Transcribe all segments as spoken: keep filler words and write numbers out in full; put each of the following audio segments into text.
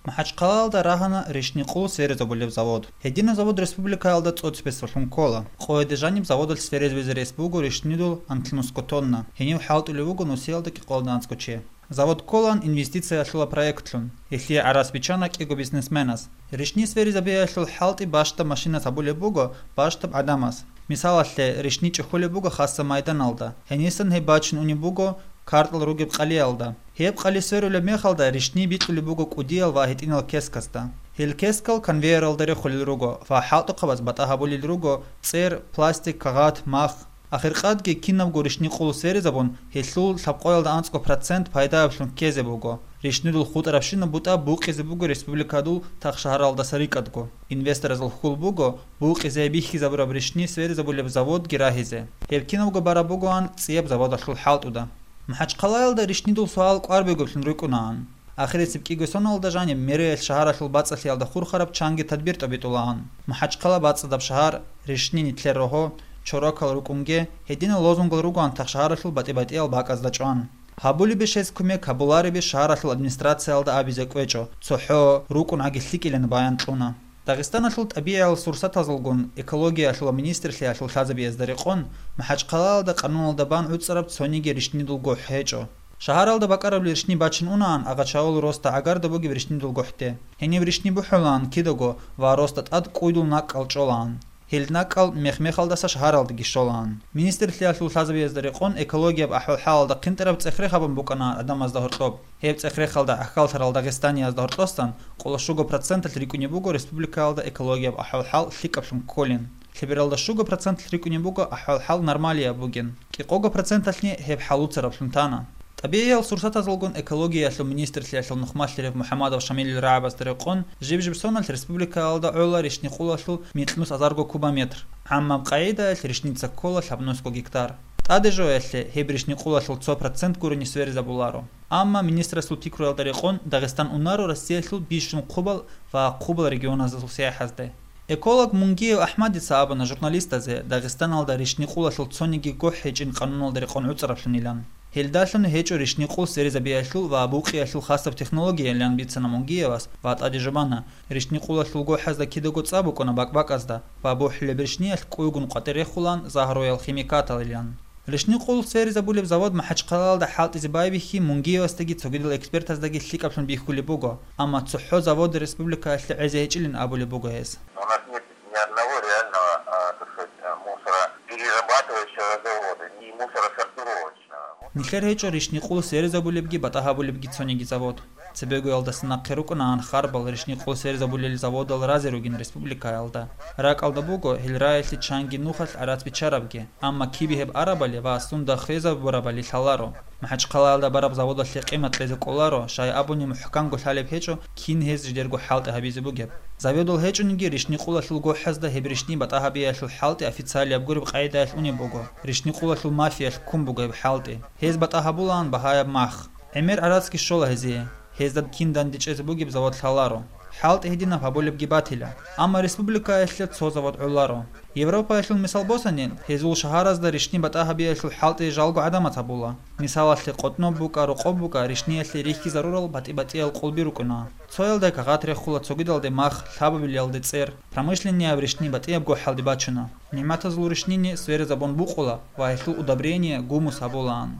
МахӀачхъалаялда рагьана ришни къул сверизабулеб завод. Гьединаб завод республикаялда цӀоцебесеб лъун ккола. Къояде жаниб заводалъ сверизабизе рес буго ришнидул анлънусго тонна. Гьенив хӀалтӀулев вуго нусиялда кӀикъоялда анцӀго чи. Завод кколаан инвестициялъула проектлъун. Гьелъие гӀарац биччана кӀиго бизнесменас. Ришни сверизабиялъул хӀалтӀи бащдаб машинас гьабулеб буго бащдаб гӀадамас. Мисалалъе, ришни чӀухьулеб буго хасаб майданалда. Гьенисан гьеб бачун унеб буго картӀал ругеб къалиялда. Гьеб къали сверулеб мехалда ришни бикьулеб буго кӀудиял ва гьитӀинал кескасда. Гьел кескал конвейералда рехулел руго ва хӀалтӀухъабаз батӀа гьабулел руго цӀер, пластик, кагъат, мах. Ахиркъадги кинабго ришни къул сверизабун, гьелъул лъабкъоялда анцӀго процент пайдаялъун ккезе буго. Ришнидул хутӀарабщинаб бутӀа букъизе буго республикадул тахшагьаралдаса рикӀкӀадго. Инвесторазул хьул буго букъизе бихьизабураб ришни сверизабулеб заводги рагьизе. Гьеб кинабго бараб бугоан цӀияб заводалъул хӀалтӀуда. МахӀачхъалаялда ришнидул суал кӀвар бугеблъун рукӀунаан. Ахирисеб кӀиго соналда жаниб мэриялъ шагьаралъул бацӀцӀалъиялда хурхараб чанги тадбир тӀобитӀулаан. МахӀачхъала бацӀцӀадаб шагьар, ришни нилъер рогьо, чорокал рукӀунге, гьединал лозунгал ругоан тахшагьаралъул батӀи-батӀиял бакӀазда чӀван. Гьабулебищ гьез кумек, гьабуларебищ шагьаралъул администрациялда абизе кӀвечӀо, цохӀо, рукӀун гӀаги лъикӀилан баян кьуна. Дагъистаналъул тӀабигӀиял сурсатазулгун экологиялъул ва министрлъиялъул лъазабиязда рекъон, МахӀачхъалаялда къануналда бан гӀуцӀараб цониги ришнидул гохӀ гьечӀо. Шагьаралда бакӀараб ришни бачун унаан Агъачавул росда гӀагарда бугеб ришнидул гохӀде. Гьениб ришни бухӀулаан кидаго ва росда тӀад кӀуйдул накӀкӀал чӀолаан. Гьел накӀкӀал мех-мехалдаса шагьаралдаги щолаан. Министрлъиялъул лъазабиязда рекъон экологияб ахӀвал-хӀалалда хъинтӀараб цӀех-рех гьабун букӀана гӀадамазда гьоркьоб. Гьеб цӀех-рехалда гӀахьаллъарал Дагъистаниязда гьоркьосан къоло щуго проценталъ рикӀкӀунеб буго республикаялда экологияб ахӀвал-хӀал лъикӀаблъун кколин. Лъебералда щуго проценталъ рикӀкӀунеб буго ахӀвал-хӀал нормалияб бугин. КӀикъого проценталъни гьеб хӀалуцараблъун тана. ТӀабигӀиял сурсатазулгун экологиялъул министрлъиялъул нухмалъарав МухӀамадов Шамилил рагӀабазда рекъон, жиб-жиб соналъ республикаялда гӀола ришни къулалъул микьнус азарго кубометр. ГӀаммаб къагӀидаялъ ришница ккола лъабнусго гектар. ТӀаде жоялъе гьеб ришни къулалъул цо процент гурони сверизабуларо. Амма министрасул пикруялда рекъон Дагъистан унаро Россиялъул бищун хъубал ва хъубал регионазул сияхӀазде. Эколог Мунгиев АхӀмадица абуна журналистазе Дагъистаналда ришни къулалъул цониги гохӀ гьечӀин къануналда рекъон гӀуцӀараблъунилан. Гьелдалъун гьечӀо ришни къул сверизабиялъул ва букъиялъул хасаб технологиялъан бицана Мунгиевас ва тӀаде жубана, ришни къулалъул гохӀазда кидаго цӀа букӀуна бакӀ-бакӀазда ва бухӀулеб ришниялъ кӀуйгун къватӀир рехулаан загьруял химикаталилан. Ришни къул сверизабулеб завод МахӀачхъалаялда хӀалтӀизе байбихьи Мунгиевасдаги цогидал экспертаздаги лъикӀаблъун бихьулеб буго, амма цохӀо завод республикаялъе гӀезе гьечӀилин абулеб буго гьес. У нас нет ни одного реального, а, так сказать, а, мусороперерабатывающего завода и мусоросортировочного. Нилъер гьечӀо ришни къул сверизабулебги батӀа гьабулебги цониги завод. Цебегоялдаса нахъе рукӀунаан харбал ришни къул сверизабулел заводал разе ругин республикаялда. РакӀалда буго гьел раялъе чанги нухалъ гӀарац биччарабги, амма кибе гьеб арабали ва сунда хвезабурабали лъаларо. МахӀачхъалаялда бараб заводалъе къимат кьезе кӀоларо, щай абуни мухӀканго лъалеб гьечӀо, кин гьез жидерго хӀалтӀи гьабизе бугеб. Заводал гьечӀониги ришни къулалъул гохӀазда гьеб ришни батӀа гьабиялъул хӀалтӀи официалияб гуреб къагӀидаялъ унеб буго. Ришни къулалъул мафиялъ ккун буго гьеб хӀалтӀи. Гьез батӀа гьабулаан багьаяб мах. ГӀемер гӀарацги щола гьезие. Гьезда кин дандечӀезе бугеб завод лъаларо. ХӀалтӀи гьединаб гьабулебги батила. Амма республикаялъе цо завод гӀоларо. Европаялъул мисал босани, гьезул шагьаразда ришни батӀа гьабиялъул хӀалтӀи жалго гӀадамаз гьабула. Мисалалъе, къотӀноб букӀа, рокъоб букӀа ришниялъе рихьизарурал батӀи-батӀиял къулби рукӀуна. Цоялда кагъат рехула, цогидалде мах, лъабабилалде цӀер. Промышленнияб ришни батӀияб гохӀалде бачуна. НигӀматазул ришнини сверизабун букъула ва гьелъул удобрение, гумус гьабулаан.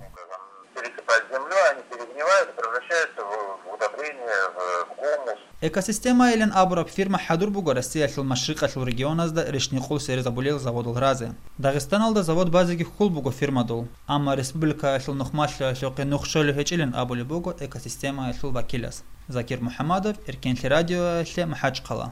Пересыпать землю, они перегнивают, превращаются в, в удобрение, в, в гумус. Экосистемайилан абураб фирма хӀадур буго Россиялъул машрикъалъул регионазда ришни къул сверизабулел заводал разе. Дагъистаналда завод базеги хьул буго фирмадул, амма республикаялъул нухмалъиялъухъе нух щолеб гьечӀилан абулеб буго экосистемаялъул вакилас. Закир МухӀамадов, Эркенлъи радиоялъе, МахӀачхъала.